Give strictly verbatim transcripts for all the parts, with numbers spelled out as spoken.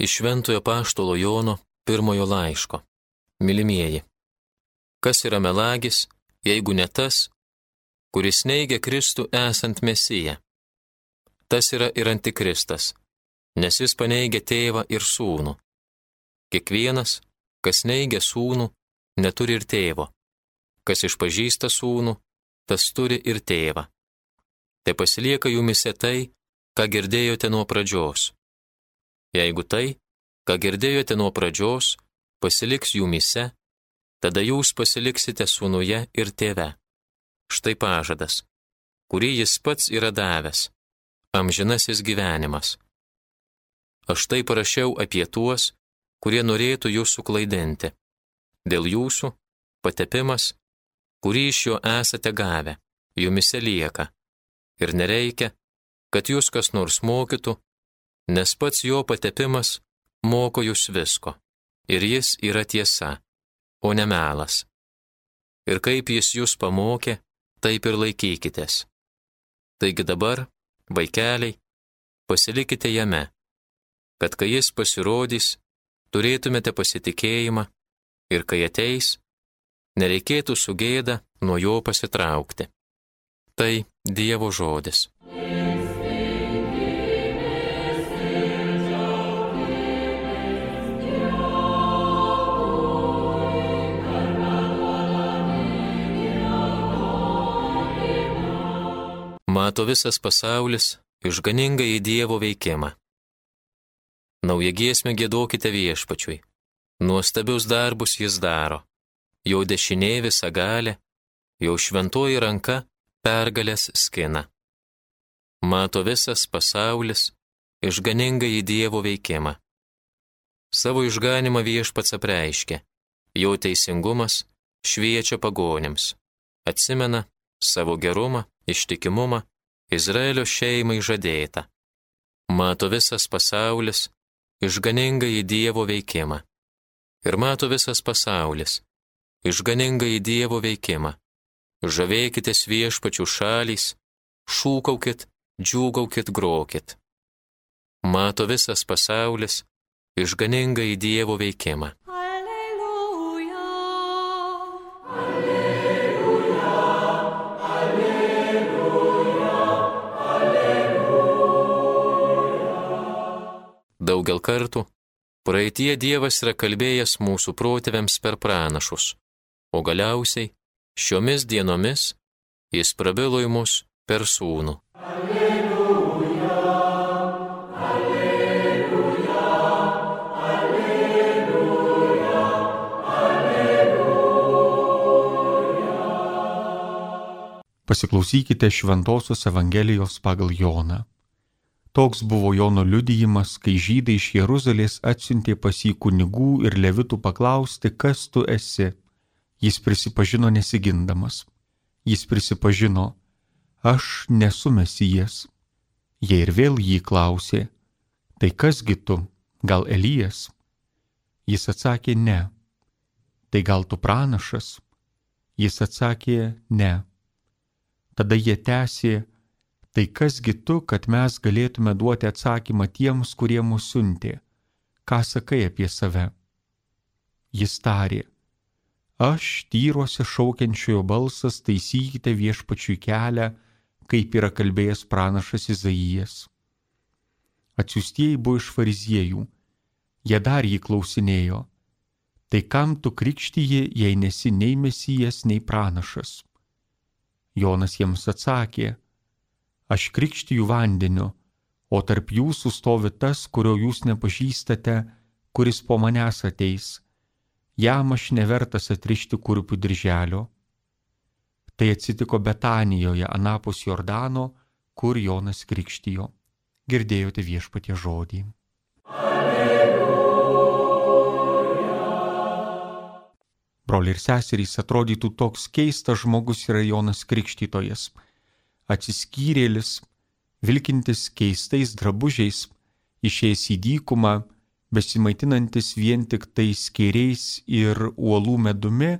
Iš Šventojo Apaštalo Jono pirmojo laiško. Mylimieji, kas yra melagis, jeigu ne tas, kuris neigia Kristų esant Mesiją? Tas yra ir antikristas, nes jis paneigia tėvą ir sūnų. Kiekvienas, kas neigia sūnų, neturi ir tėvo. Kas išpažįsta sūnų, tas turi ir tėvą. Te pasilieka jumise tai, ką girdėjote nuo pradžios. Jeigu tai, ką girdėjote nuo pradžios, pasiliks jumise, tada jūs pasiliksite sūnuje ir tėve. Štai pažadas, kurį jis pats yra davęs, amžinasis gyvenimas. Aš tai parašiau apie tuos, kurie norėtų jūs suklaidinti. Dėl jūsų patepimas, kurį iš jo esate gavę, jumise lieka. Ir nereikia, kad jūs kas nors mokytų, nes pats jo patepimas moko jūs visko. Ir jis yra tiesa, o ne melas. Ir kaip jis jūs pamokė, taip ir laikykitės. Taigi dabar, vaikeliai, pasilikite jame, kad kai jis pasirodys, turėtumėte pasitikėjimą ir kai ateis, nereikėtų su gėda nuo jo pasitraukti. Tai Dievo žodis. Mato visas pasaulis išganingąjį Dievo veikimą. Naują giesmę giedokite Viešpačiui. Nuostabius darbus jis daro. Jo dešinė visa galė, jo šventoji ranka pergalės skina. Mato visas pasaulis išganingąjį Dievo veikimą. Savo išganimą Viešpats apreiškė. Jo teisingumas šviečia pagonims. Atsimena savo gerumą, ištikimumą Izraelio šeimai žadėta. Mato visas pasaulis išganingąjį Dievo veikimą. Ir mato visas pasaulis išganingąjį Dievo veikimą. Žavėkitės Viešpačių šalys, šūkaukit, džiūgaukit, grokit. Mato visas pasaulis išganingąjį Dievo veikimą. Daugel kartų praeitie Dievas yra kalbėjęs mūsų protėviams per pranašus, o galiausiai šiomis dienomis jis prabilo į mus per sūnų. Alleluja, alleluja, alleluja, alleluja. Pasiklausykite Šventosios Evangelijos pagal Joną. Toks buvo Jono liudijimas, kai žydai iš Jeruzalės atsiuntė pas jį kunigų ir levitų paklausti, kas tu esi. Jis prisipažino nesigindamas. Jis prisipažino, aš nesu Mesijas. Jie ir vėl jį klausė, tai kasgi tu, gal Elijas? Jis atsakė, ne. Tai gal tu pranašas? Jis atsakė, ne. Tada jie tęsė, tai kasgi tu, kad mes galėtume duoti atsakymą tiems, kurie mus siuntė? Ką sakai apie save? Jis tarė, aš tyruose šaukiančiojo balsas, taisykite Viešpačiui kelią, kaip yra kalbėjęs pranašas Izaijas. Atsiųstieji buvo iš fariziejų. Jie dar jį klausinėjo, tai kam tu krikštiji, jei nesi nei Mesijas, nei pranašas? Jonas jiems atsakė, aš krikštiju vandeniu, o tarp jūsų stovi tas, kurio jūs nepažįstate, kuris po manęs ateis. Jam aš nevertas atrišti kurpių dirželio. Tai atsitiko Betanijoje, anapus Jordano, kur Jonas krikštijo. Girdėjote Viešpaties žodį. Alleluja. Broliai ir seserys, atrodytų toks keistas žmogus yra Jonas Krikštytojas. Atsiskyrėlis, vilkintis keistais drabužiais, išėjęs į dykumą, besimaitinantis vien tik tais skėriais ir uolų medumi,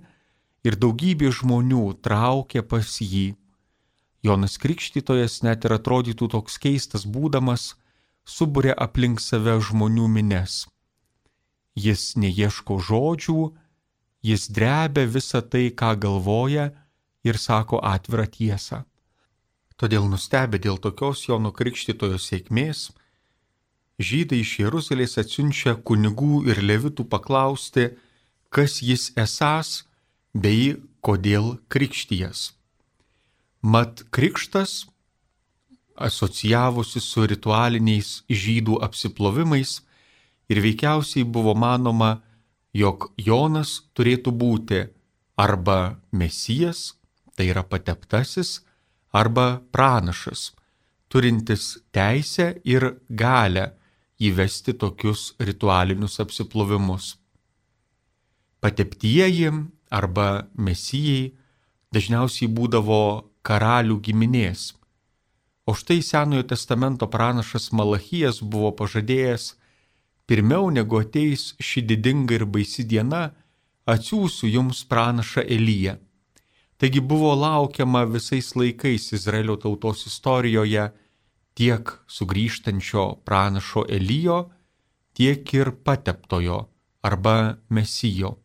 ir daugybė žmonių traukė pas jį. Jonas Krikštytojas net ir atrodytų toks keistas būdamas, suburia aplink save žmonių mines. Jis neieško žodžių, jis drebia visą tai, ką galvoja ir sako atvirą tiesą. Todėl nustebę dėl tokios Jono Krikštytojo sėkmės, žydai iš Jeruzalės atsiunčia kunigų ir levitų paklausti, kas jis esąs bei kodėl krikštijas. Mat krikštas, asocijavosi su ritualiniais žydų apsiplovimais, ir veikiausiai buvo manoma, jog Jonas turėtų būti arba Mesijas, tai yra pateptasis, arba pranašas, turintis teisę ir galę įvesti tokius ritualinius apsiplovimus. Pateptieji arba Mesijai dažniausiai būdavo karalių giminės, o štai Senojo testamento pranašas Malachijas buvo pažadėjęs, pirmiau negu ateis ši didinga ir baisi diena, atsiųsiu jums pranašą Eliją. Taigi buvo laukiama visais laikais Izraelio tautos istorijoje tiek sugrįžtančio pranašo Elijo, tiek ir pateptojo arba Mesijo.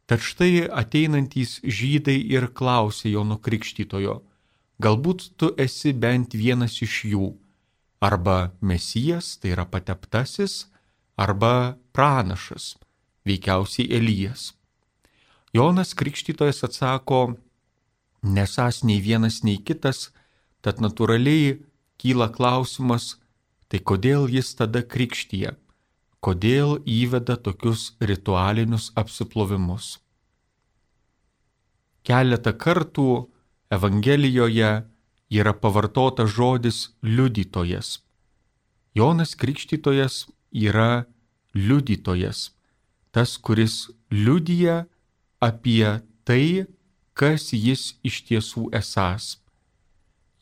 Tad štai ateinantys žydai ir klausė Jono Krikštytojo, galbūt tu esi bent vienas iš jų, arba Mesijas, tai yra pateptasis, arba pranašas, veikiausiai Elijas. Jonas Krikštytojas atsako, nesąs nei vienas, nei kitas, tad natūraliai kyla klausimas, tai kodėl jis tada krikštija, kodėl įveda tokius ritualinius apsiplovimus. Keletą kartų Evangelijoje yra pavartotas žodis liudytojas. Jonas Krikštytojas yra liudytojas, tas, kuris liudija apie tai, kas jis iš tiesų esąs.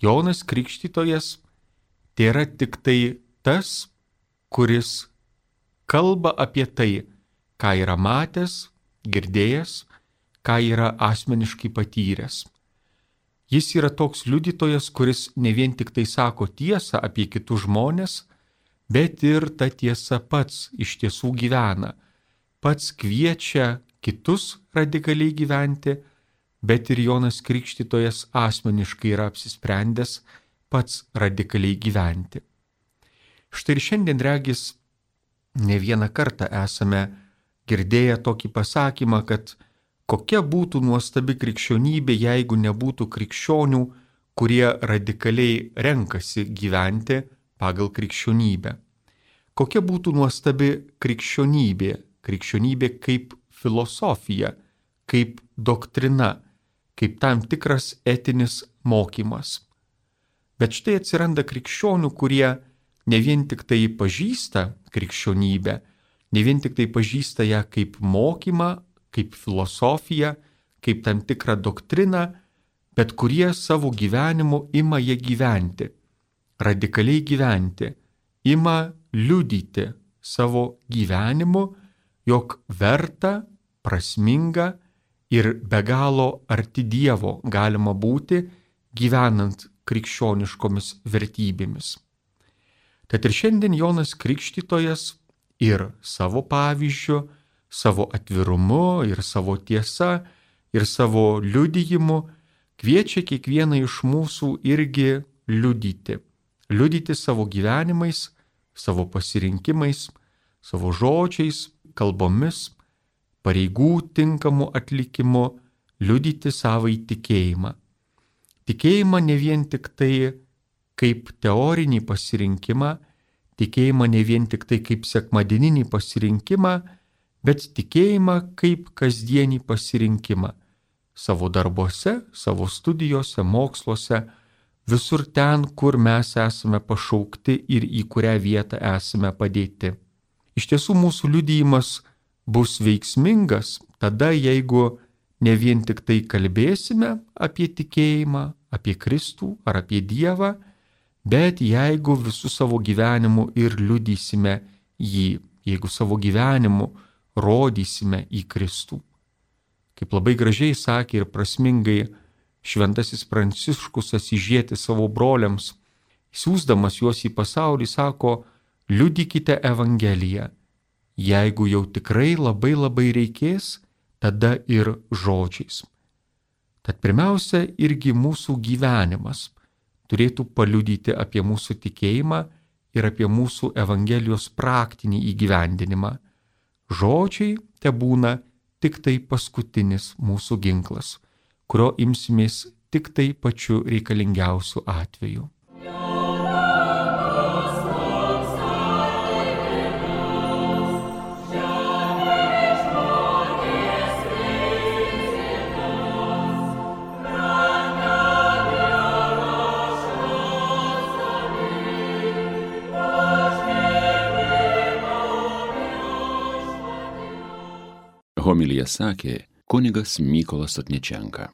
Jonas Krikštytojas tai yra tik tai tas, kuris kalba apie tai, ką yra matęs, girdėjęs, ką yra asmeniškai patyręs. Jis yra toks liudytojas, kuris ne vien tik tai sako tiesą apie kitus žmonės, bet ir ta tiesa pats iš tiesų gyvena. Pats kviečia kitus radikaliai gyventi, bet ir Jonas Krikštytojas asmeniškai yra apsisprendęs pats radikaliai gyventi. Štai ir šiandien regis ne vieną kartą esame girdėję tokį pasakymą, kad kokia būtų nuostabi krikščionybė, jeigu nebūtų krikščionių, kurie radikaliai renkasi gyventi pagal krikščionybę. Kokia būtų nuostabi krikščionybė, krikščionybė kaip filosofija, kaip doktrina, kaip tam tikras etinis mokymas. Bet štai atsiranda krikščionių, kurie ne vien tik tai pažįsta krikščionybę, ne vien tik tai pažįsta ją kaip mokymą, kaip filosofiją, kaip tam tikrą doktriną, bet kurie savo gyvenimu ima ją gyventi, radikaliai gyventi, ima liudyti savo gyvenimu, jog verta, prasminga ir be galo arti Dievo galima būti gyvenant krikščioniškomis vertybėmis. Tad ir šiandien Jonas Krikštytojas ir savo pavyzdžiu, savo atvirumu ir savo tiesa ir savo liudijimu kviečia kiekvieną iš mūsų irgi liudyti. Liudyti savo gyvenimais, savo pasirinkimais, savo žodžiais, kalbomis, pareigų tinkamų atlikimu, liudyti savai tikėjimą. Tikėjimą ne vien tik tai kaip teorinį pasirinkimą, tikėjimą ne vien tik tai kaip sekmadieninį pasirinkimą, bet tikėjimą kaip kasdienį pasirinkimą savo darbuose, savo studijose, moksluose, visur ten, kur mes esame pašaukti ir į kurią vietą esame padėti. Iš tiesų mūsų liudijimas bus veiksmingas tada, jeigu ne vien tik tai kalbėsime apie tikėjimą, apie Kristų ar apie Dievą, bet jeigu visų savo gyvenimu ir liudysime jį, jeigu savo gyvenimu rodysime į Kristų. Kaip labai gražiai sakė ir prasmingai šventasis Pranciškus Asyžietis savo broliams, siųsdamas juos į pasaulį, sako, liudykite Evangeliją. Jeigu jau tikrai labai labai reikės, tada ir žodžiais. Tad pirmiausia, irgi mūsų gyvenimas turėtų paliudyti apie mūsų tikėjimą ir apie mūsų Evangelijos praktinį įgyvendinimą. Žodžiai tebūna tik tai paskutinis mūsų ginklas, kurio imsimės tik tai pačiu reikalingiausiu atveju. Homiliją sakė kunigas Mykolas Sotničenka.